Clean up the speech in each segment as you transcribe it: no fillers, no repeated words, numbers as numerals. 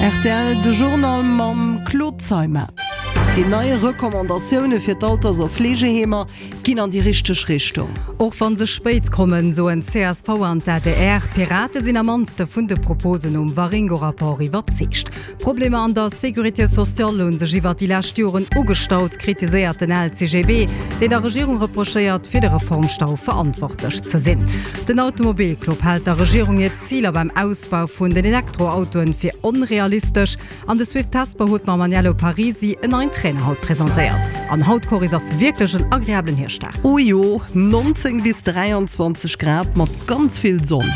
Rtl, De Journal mam Claude Zeimetz. Déi nei Recommandatioune fir d'Alters a Fleegeheemer ginn an déi richteg Richtung. Och wann se spéit kommen, soen csv an d'ADR. D'Pirate sinn am mannste vun de Proposen nom Waringo-Rapport iwwerzeegt. D'Problemer an der Sécurité sociale hu sech iwwert déi lescht Joren ugestaut, kritiséiert den LCGB, deen der Regierung reprochéiert, fir de Reformstau verantwortlech ze sinn. Den Automobilclub hält der Regierung hir Ziler beim Ausbau vun den Elektroautoen fir onrealistesch. An de Swift Hesper huet mam Aniello Parisi en neien Trainer haut presentéiert. An haut, Coris, ass wierklech en agreablen Hierschtdag. Oh jo, 19 bis 23 Grad mat ganz vill Sonn.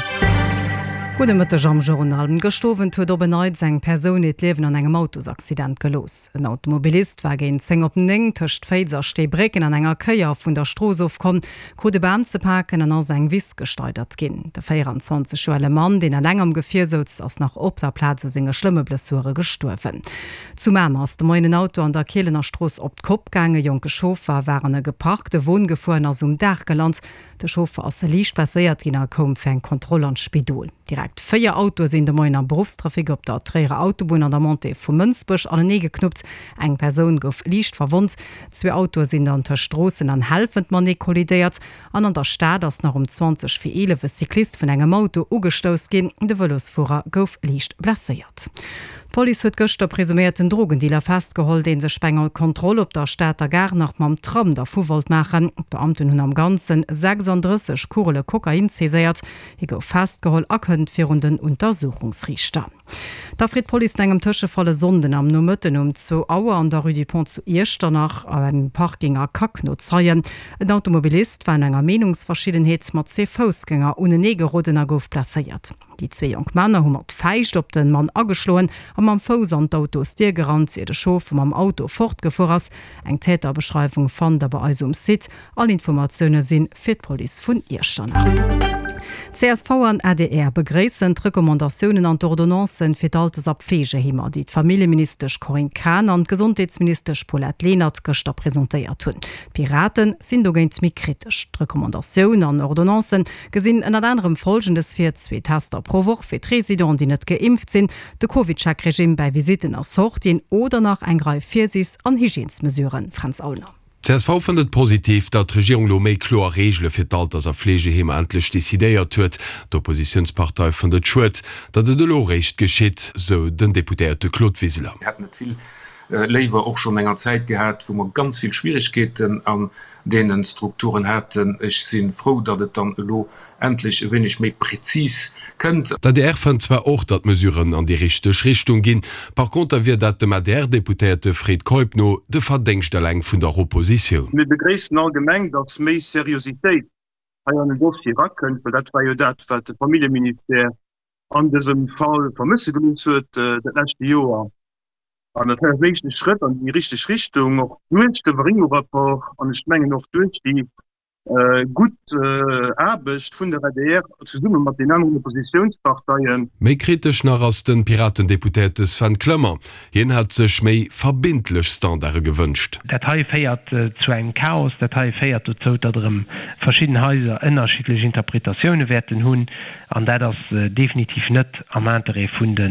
Gudde Mëtteg am Journal. Gëscht Owend huet op en Neits eng Persoun hiert Liewen an engem Autosaccident gelooss. En Automobilist war géint 10 op 9 tëscht Féiz a Steebrécken an enger Kéier vun der Strooss ofkomm, krut e Bam ze paken an ass eng Wiss gesteidert ginn. De 24 Joer ale Mann, deen eleng am Gefier souz, ass nach op der Plaz u senge schlëmme Blessure gestuerwen. Zu Mamer ass de Moien en Auto an der Kielener Strooss op d'Kopp gaang. E jonke Chauffer war an e geparkte Won gefuer an ass um Daach gelant. De Chauffer ass liicht blesséiert ginn a koum fir eng Kontroll an d'Spidol. Direkt 4 Autoe sinn de Moien am Beruffstrafic op der Tréierer Autobunn an der Montée vu Mënsbech aneneegeknuppt. Eng Persoun gouf liicht verwonnt. Zwee Autoe sinn dann tëscht Stroossen an Helfent matenee kollidéiert an an der Stad ass nach um 20 vir 11 e Cyclist vun engem Auto ugestouss ginn. De Vëlosfuerer gouf liicht blesséiert. D'Police huet gëschter presuméierten Drogendealer festgeholl, dee sech bei enger Kontroll op der Stater Gare nach mam Tram dervu wollt maachen. D'Beamten hunn am Ganze 36 Kugele Kokain saiséiert. Hie gouf festgeholl a kënnt virun den Untersuchungsriichter. Da freet d'Police no engem Tëschefall e Sonnden am Nomëtten um zwou Auer an der Rue du Pont zu Iechternach a engem Parking a Kack no Zeien. En Automobilist war no enger Meenungsverschiddenheet mat zwee Foussgänger unenee geroden a gouf blesséiert. Déi zwee jonk Männer hu mat Fäischt op de Mann ageschloen a mam Fouss an d'Autosdier gerannt, ier de Chauffer mam Auto fortgefuer ass. Eng Täterbeschreiwung fannt der bei eis um Site. All Informatioune si fir d'Police vun Iechternach. Csv an adr begréissen d'Recommandatiounen an d'Ordonnancen fir d'Altes a Pflegeheemer, déi d'Familljeministesch Corinne Cahen an d'Gesondheetsministesch Paulette Lenert gëschter presentéiert hunn. D'Piraten sinn dogéint méi kritesch. D'Recommandatioun an Ordonnancen gesinn ënnert anerem Folgendes vir, zwee Tester pro Woch fir d'Residenten, déi net geimpft sinn, de CovidCheck-Regime bäi Visitten a Sortien oder nach eng Rei Virsiichts an Hygiènesmesuren. Fränz Aulner. Csv fënnt et positiv, datt d'Regierung elo méi kloer Reegele fir d'Alters a Fleegeheemer endlech decidéiert huet. D'Oppositiounspartei fënnt et schued, datt et elo réischt geschitt, sou den Deputéierte Claude Wiseler. Mir hätten et vill léiwer och schonn enger Zäit gehat, wou mer ganz vill Schwierigkeeten an deene Strukturen haten. Ech si frou, datt et dann elo endlech e wéineg méi prezis kënnt. D'adr fënnt zwar och, datt d'Mesuren an déi richteg Richtung ginn, par conter wier dat dem ADR-Deputéierte Fred Keup no de Verdéngscht eleng vun der Oppositioun. Mir begréissen allgemeng, datt méi Seriositéit hei an den Dossier erakënnt, well dat war jo dat, wat de Familljeministère an dësem Fall vermësse gelooss huet dat leschte Joer. An dat ass en éischte Schrëtt an déi richteg Richtung, och duerch de Waringo-Rapport an ech mengen och duerch déi gutt Aarbecht vun der adr zesumme mat den aneren Oppositiounsparteien. Méi kritesch nach ass de Piraten-Deputéierte Sven Clement. Hien hätt sech méi verbindlech Standarde gewënscht. Dat hei féiert zu engem Chaos. Dat hei féiert dozou, datt erëm verschidden Haiser ënnerschiddlech Interpretatioune wäerten hunn. An dat ass definitiv net am Interêt vun de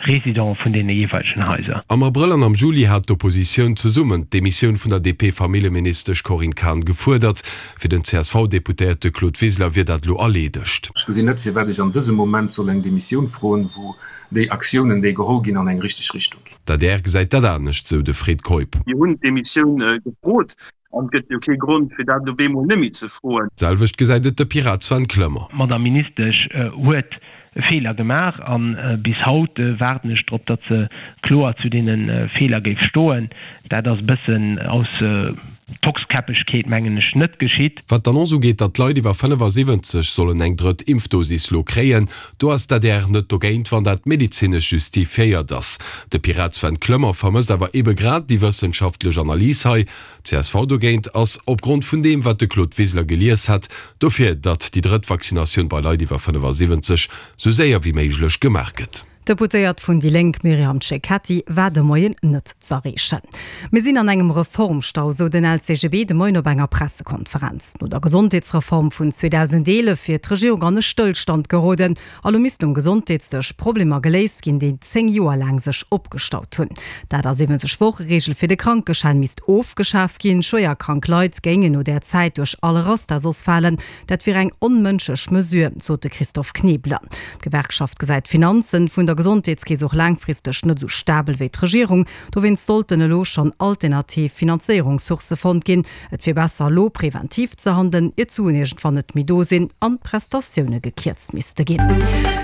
Residenten vun deene jeeweilegen Haiser. Am Abrëll an am Juli hat d'Oppositioun zesummen d'Demissioun vun der DP-Familljeministesch Corinne Cahen gefuerdert. Fir den CSV-Deputéierte Claude Wiseler wier dat elo erleedegt. Ech gesinn net, firwat ech an dësem Moment soll eng Demissioun froen, wou déi Aktiounen, déi geholl ginn, an eng richteg Richtung ginn. D'adr gesäit dat anescht, sou de Fred Keup. Mir hunn d'Demissioun gefrot An et gëtt jo kee Grond, fir dat op eemol net méi ze froen. D'selwecht gesäit et de Pirat Sven Clement. D'Madame Ministesch huet Feeler gemaach a bis haut waarden ech drop, datt se kloer zu deene Feeler géif stoen. Dat ass e bëssen aus Tockskäppegkeet, mengen ech, net geschitt. Wat d'Annonce ugeet, datt d'Leit iwwer 75 sollen eng drëtt Impfdosis lo kréien, do ass d'ADR net dogéint, wann dat medezinesch justifiéiert ass. De Pirat Sven Clement vermësst awer ebe grad déi wëssenschaftlech Analys hei. Csv dogéint ass, opgrond vun deem wat de Claude Wiseler gelies hat, dofir, datt déi drëtt Vaccinatioun bei Leit iwwer 75 sou séier wéi méiglech gemaach gëtt. D'Deputéiert vun déi Lénk Myriam Cecchetti war de Moien net z'erreechen. Mir sinn an engem Reformstau, sou den LCGB de Moien op enger Pressekonferenz. No der Gesondheetsreform vun 2011 wier d'Regierung an e Stëllstand geroden a lo missten um Gesondheetsdësch Problemer geléist ginn, déi 10 Joer laang sech opgestaut hunn. D'A 70 Woche-Reegel fir de Krankeschäin misst ofgeschaf ginn. Schwéier krank Leit géingen no där Zäit duerch all Raster soss falen. Dat wier eng onmënschlech Mesure, sot de Christophe Knebeler. D'Gewerkschaft gesäit d'Finanzen vun der Gesondheetskeess och laangfristeg net esou stabel wéi d'Regierung. Dowéinst sollten elo schonn alternativ Finanzéierungssourcë fonnt ginn. Et wier besser elo preventiv ze handelen, ier d'Suen iergendwann net méi do sinn an d'Prestatioune gekierzt misste ginn.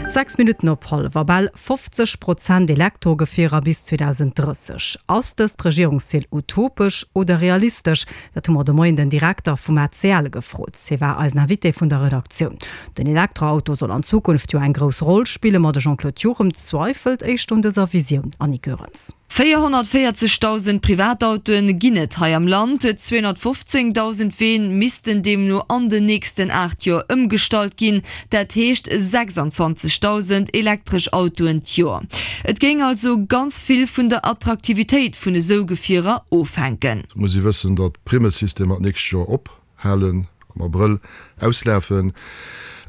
6 Minutten op hallwer bal 50 Prozent Elektrogefierer bis 2030. Ass dëst Regierungszil utopesch oder realistesch? Dat hu mer de Moien den Direkter vum ACL gefrot. Hie war eisen Invité vun der Redaktioun. Den Elektroauto soll an Zukunft jo eng grouss Roll spillen, ma de Jean-Claude Juchem zweifelt éischter un dëser Visioun. Annie Goerens. 440.000 Privatautoe ginn et hei am Land. 215.000 Ween missten deemno an den nächsten 8 Joer ëmgestallt ginn. Dat heescht 26.000 elektresch Autoen d'Joer. Et géing also ganz vill vun der Attraktivitéit vun esou Gefierer ofhänken. Et muss ee wëssen, datt d'Primmesystemer d'nächst Joer ophalen, am Abrëll auslafen.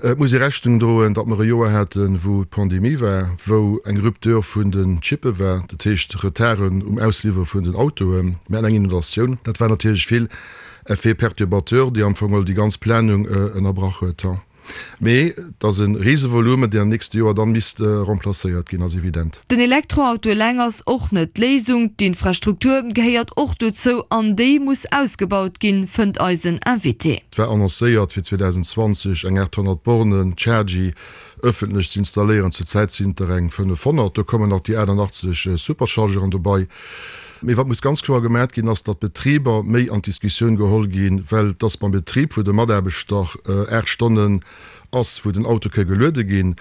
Et muss ee Rechnung droen, datt mer e Joer haten, wou d'Pandemie war, wou eng Rupture vun den Chippe war, dat heescht Retarden um Ausliwwere vun den Autoen. Mir haten eng Inondatioun. Dat war natierlech vill Effets perturbateurs, déi am Fong geholl déi ganz Planung ënnerbrach huet. Mee et ass e Risevolumen, deen am nächste Joer dann misst remplacéiert ginn, ass evident. Den Elektroauto eleng ass och net d'Léisung. D'Infrastruktur gehéiert och dozou an déi muss ausgebaut ginn, fënnt eisen Invité. Et war annoncéiert fir 2020 eng 800 Bornen Chargy ëffentlech ze installéieren. Zur Zäit sinn et der eng 500. Do kommen nach déi 88 Superchargeren dobei. Mee wat muss ganz kloer gemat ginn, ass, datt d'Betriber méi an d'Diskussioun geholl ginn, well et ass beim Betrib, wou de Mataarbechter 8 Stonnen ass, wou den Auto ke geluede ginn.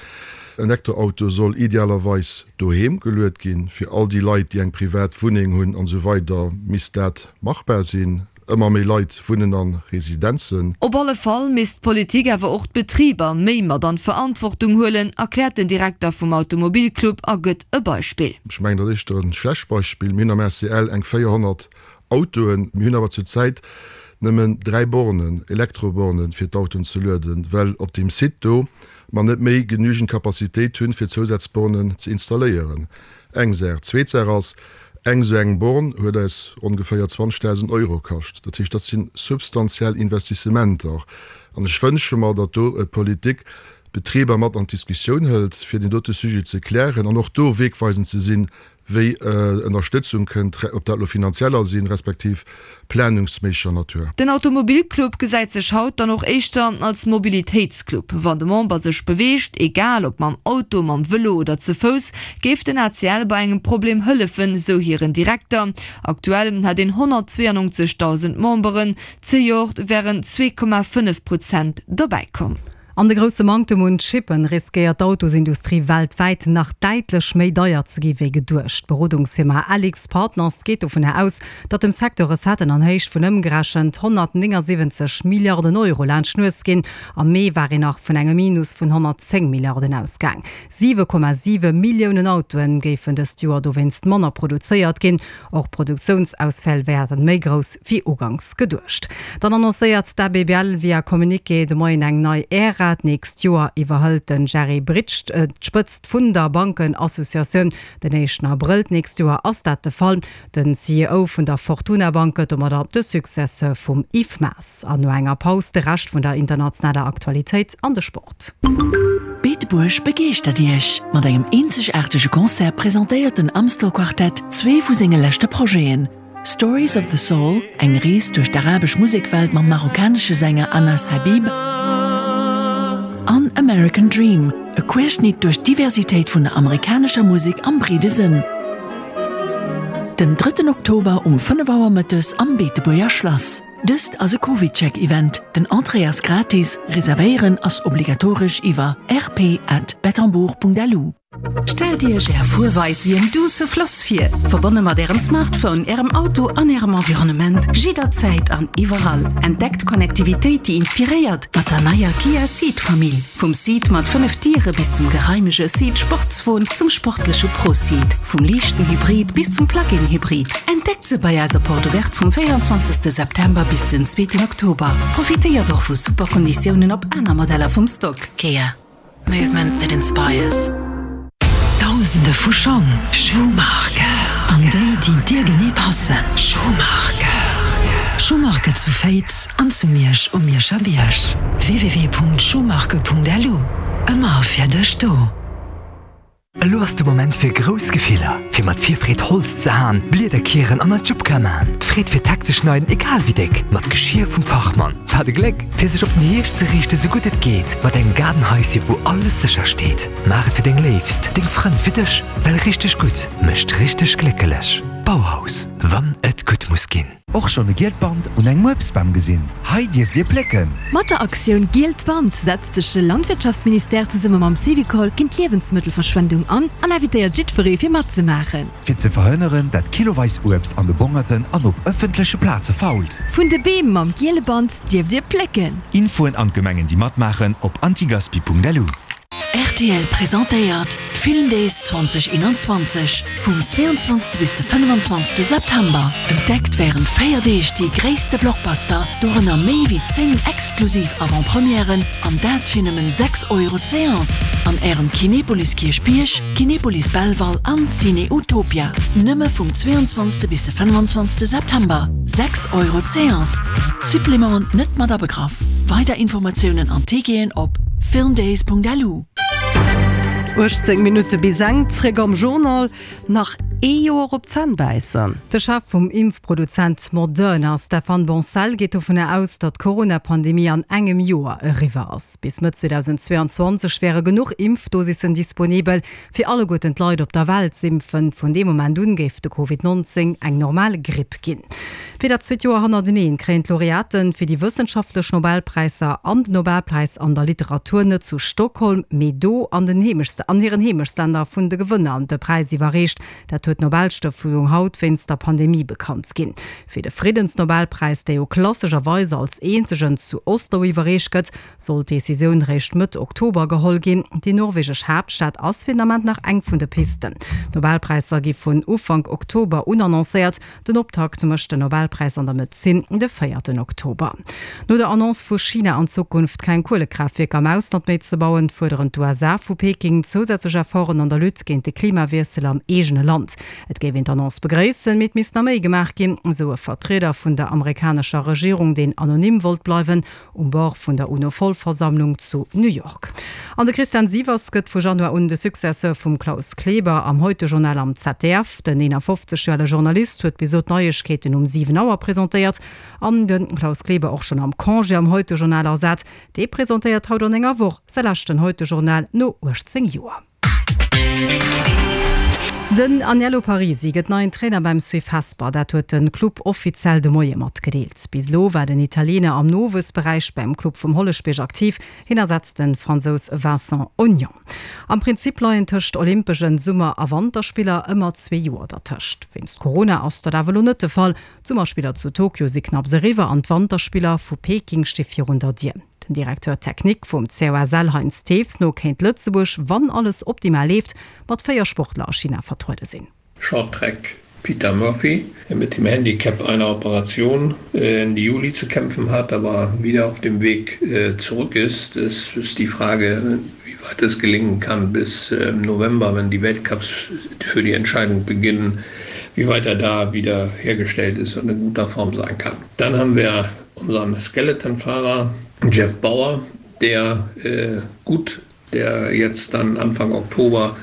En Elektroauto soll idealerweis doheem geluet ginn. Fir all déi Leit, déi eng privat Wunneng hunn an esou weider, misst dat machbar sinn. Ëmmer méi Leit wunnen a Residenzen. Op alle Fall misst d'Politik awer och d'Betriber méi mat an d'Verantwortung huelen, erkläert den Direkter vum Automobilclub a gëtt e Beispill. Ech mengen, dat ass éischter e schlecht Beispill. Mir hunn am ACL eng 400 Autoen. Mir hunn awer zur Zäit nëmmen 3 Bornen, Elektrobornen, fir d'Autoen ze lueden, well op deem Site do mer net méi genügend Capacitéit hunn, fir Zousazbornen ze installéieren. Eng Saach. Zweet Saach ass, Eng esou eng Born huet eis ongeféier 20.000 Euro kascht. Dat heescht, dat si substantiell Investissementer. An ech wënsche mer, datt do d'Politik d'Betriber mat an d'Diskussioun hëlt, fir deen dote Sujet ze klären an och do wegweisend ze sinn, wéi Ënnerstëtzung kënnt, ob dat elo finanzieller sinn, respektiv planungsméisseger Natur. Den Automobilclub gesäit sech haut dann och éischter als Mobilitéitsclub. Wann de Member sech beweegt, egal ob mam Auto, mam Vëlo oder ze Fouss, géif den ACL bei engem Problem hëllefen, sou hiren Direkter. Aktuell hätt een 192.000 Memberen, zejoert wären 2,5 Prozent dobäi komm. An de grousse Manktem un Chippen riskéiert d'Autosindustrie weltwäit nach däitlech méi deier ze gi wéi geduecht. D'Berodungsfirma AlixPartners geet dovunner aus, datt dem Secteur Recetten an Héicht vun ëmgerechent 179 Milliarden Euro laanscht d'Nues ginn. Am Mee war een nach vun engem Minus vun 110 Milliarden ausgaang. 7,7 Milliounen Autoen géifen dëst Joer dowéinst manner produzéiert ginn. Och d'Produktiounsausfäll wäerten méi grouss wéi uganks geduecht. Dann annoncéiert d'ABBL via Communiqué de Moien eng nei Ära. D'nächst Joer iwwerhëlt de Jerry Britsch d'Spëtzt vun der Bankenassociatioun. Den éischten Abrëll d'nächst Joer ass dat de Fall. Den CEO vun der Fortuna Bank gëtt domadder de Successeur vum Yves Maas. An no enger Paus de Rescht vun der internationaler Aktualitéit an de Sport. Beetebuerg begeeschtert Iech! Mat engem eenzegaartege Concert presentéiert den Amstel Quartett zwee vu senge leschte Projeten, Stories of the Soul, eng Rees duerch d'arabesch Musekwelt mam marokkanesche Sänger Anas Habib, an American Dream, e Querschnitt duerch d'Diversitéit vun der amerikanescher Musek am breede Sënn. Den drëtten Oktober um 5 Auer mëttes am Beetebuerger Schlass. Dëst ass e CovidCheck-Event. Den Entrée ass gratis, reservéieren ass obligatoresch iwwer rp@bettembourg.lu. Stellt Iech Är Fuerweis wéi en duusse Floss vir, verbonne mat Ärem Smartphone, Ärem Auto an Ärem Environnement, jidderzäit an iwwerall. Entdeckt Connectivitéit, déi inspiréiert, mat der neier Kia Ceed Famill. Vum Ceed mat 5 Diere bis zum geraimege Ceed Sportswon, zum sportleche Pro Ceed, vum liichten Hybrid bis zum Plug-in Hybrid. Entdeckt se bei eiser Porte Ouverte vum 24 September bis den zweeten Oktober. Profitéiert och vu super Konditiounen op aner Modeller vum Stock. Kia. Movement that inspires. Dausende vu Schong, Schuhmarke, an déi, déi dir genee passen. Schuhmarke. Schuhmarke zu Féiz an zu Miersch um Mierscher Bierg. www.schuhmarke.lu Ëmmer fir dech do. Elo ass de Moment fir grouss Gefiller, fir mat Virfreed Holz ze haen, Blieder kieren an Ajupka man. D'Freed fir d'Heck ze schneiden, egal wéi déck, mat Geschir vum Fachmann. Wat e Gléck, fir sech op den Hierscht ze riichten, sou gutt et geet, mat engem Gaardenhaisje wou alles sécher steet. Maach et fir deng Léifst, deng Frënn, fir dech, well richteg gutt mécht richteg gléckelech. Bauhaus, wann et gutt muss ginn. Och schonn e gielt Band un engem Uebstbam gesinn? Hei dierft Dir plécken! Mat der Aktioun Gielt Band setzt sech de Landwirtschaftsministère zesumme mam Syvicol géint d'Liewensmëttelverschwendung an an invitéiert jiddweree fir matzemaachen. Fir ze verhënneren, dat kiloweis Uebst an de Bongerten an op ëffentleche Plaze fault. Vun de Beem mam giele Band dierft Dir plécken. Infoen an d'Gemengen déi matmaachen op antigaspi.lu. Rtl presentéiert d'Filmdays 2021 vum 22 bis de 25 September. Entdeckt wärend 4 Deeg déi gréisste Blockbuster, dorënner méi wéi 10 exklusiv Avant-Premièren, an dat fir nëmmen 6 Euro d'Seance an Ärem Kinepolis Kierchbierg, Kinepolis Belval an Ciné Utopia. Nëmme vum 22 bis de 25 September, 6 Euro d'Seance, Supplémenten net mat abegraff. Weider Informatiounen an Ticketen op filmdays.lu. 18 Minutte bis eng, zréck am Journal. Nach ee Joer op d'Zänn bäissen. De Chef vum Impfproduzent Moderna, Stéphane Bancel, geet dovunner aus, datt d'Corona-Pandemie an engem Joer eriwwer ass. Bis Mëtt 2022 wäre genuch Impfdosissen disponibel, fir alleguerten d'Leit op der Welt z'impfen. Vun deem Moment un géif de Covid 19 eng normal Gripp ginn. Fir dat zweet Joer hannerteneen kréien d'Laureaten fir déi wëssenschaftlech Nobelpräisser an den Nobelpräis an der Literatur net zu Stockholm, mee do an den Heemechts an hiren Heemechtslänner vun de Gewënner de Präis iwwerreecht. Dat huet d'Nobelstëftung haut wéinst der Pandemie bekannt ginn. Fir de Friddensnobelpräis, dee jo klassescherweis als eenzegen zu Oslo iwwerreecht gëtt, Soll d'Decisioun réischt Mëtt Oktober geholl ginn. Déi norwegesch Haaptstad ass fir den Ament nach eng vun de Pisten. D'Nobelpräisser gi vun Ufank Oktober un annoncéiert. Den Optakt mécht den Nobelpräis an der Medezin de véierten Oktober. No der Annonce vu China, an Zukunft keng Kuelekraaftwierker am Ausland méi ze bauen, fuerderen d'USA vu Peking zousätzlech Efforten an der Lutte géint de Klimawiessel am eegene Land. Et géif een d'Annonce begréissen, mee et misst nach méi gemaach ginn, esou e Vertrieder vun der amerikanescher Regierung, deen anonym wollt bleiwen. Um Bord vun der UNO-Vollversammlung zu New York. An de Christian Sievers gëtt vu Januar un de Successeur vum Klaus Kleber am Heute-Journal am ZDF. Den 51 Joer ale Journalist huet bis elo d'Neiegkeeten um 7 Auer presentéiert an de Klaus Kleber och schonn am Congé am Heute-Journal ersat. Dee presentéiert haut an enger Woch säi leschten Heute-Journal no 18 Joer. Den Aniello Parisi gëtt neien Trainer beim SUIF Hesper. Dat huet de Club offiziell de Moie matgedeelt. Bis elo war den Italiener am Nowuessberäich beim Club vum Holleschbierg aktiv. Hien ersetzt de Fransous Vincent Hognon. Am Prinzip leien tëscht Olympeschen Summer a Wanterspiller ëmmer zwee Joer dertëscht. Wéinst Corona ass dat awer elo net de Fall. D'Summerspiller zu Tokio si knapps eriwwer an d'Wanterspiller vu Peking sti virun der Dier. Dem Directeur technique vum COSL Heinz Thews no kéint Lëtzebuerg, wann alles optimal leeft, mat 4 Sportler a China vertruede sinn. Shorttrack Peter Murphy, der mit dem Handicap einer Operation Ende Juli zu kämpfen hat, aber wieder auf dem Weg zurück ist. Es ist die Frage, wie weit es gelingen kann bis November, wenn die Weltcups für die Entscheidung beginnen, wie weit er da wieder hergestellt ist und in guter Form sein kann. Dann haben wir unseren Skeletonfahrer Jeff Bauer, der äh, gut, der jetzt dann Anfang Oktober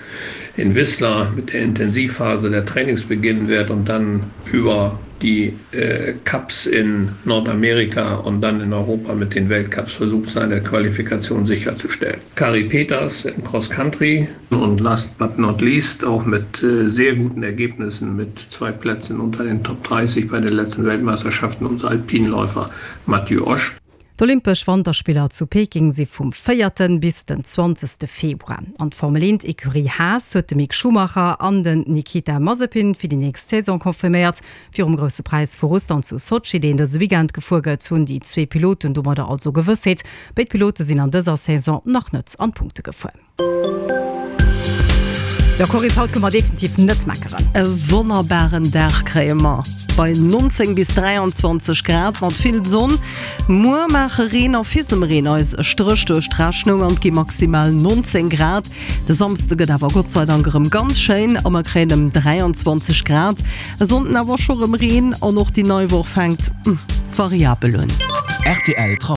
in Whistler mit der Intensivphase der Trainings beginnen wird und dann über die äh, Cups in Nordamerika und dann in Europa mit den Weltcups versucht seine Qualifikation sicherzustellen. Kari Peters im Cross Country und last but not least auch mit äh, sehr guten Ergebnissen mit zwei Plätzen unter den Top 30 bei den letzten Weltmeisterschaften unser Alpinläufer Mathieu Osch. D'Olympesch Wanterspiller zu Peking si vum véierten bis den zwanzegste Februar. An d'Formel Eent Ecurie Haas huet de Mick Schumacher an den Nikita Mazepin fir déi nächst Saison confirméiert. Virum Grousse Präis vu Russland zu Sotschi, deen dëse Weekend gefuer gëtt, hunn déi zwee Piloten domadder also Gewëssheet. Béid Pilote sinn an dëser Saison nach net an d'Punkte gefuer. Jo Coris, haut kënne mer definitiv net meckeren. E wonnerbaren Dag kréie mer bei 19 bis 23 Grad mat vill Sonn. Muer maache Reen a Fisemreen eis e Stréch duerch d'Rechnung an et gi maximal 19 Grad. De Samsde gëtt awer gottseidank erëm ganz schéin a mer kréien ëm 23 Grad. E Sonnden awer scho rëm Reen an och déi nei Woch fänkt variabel un. Rtl.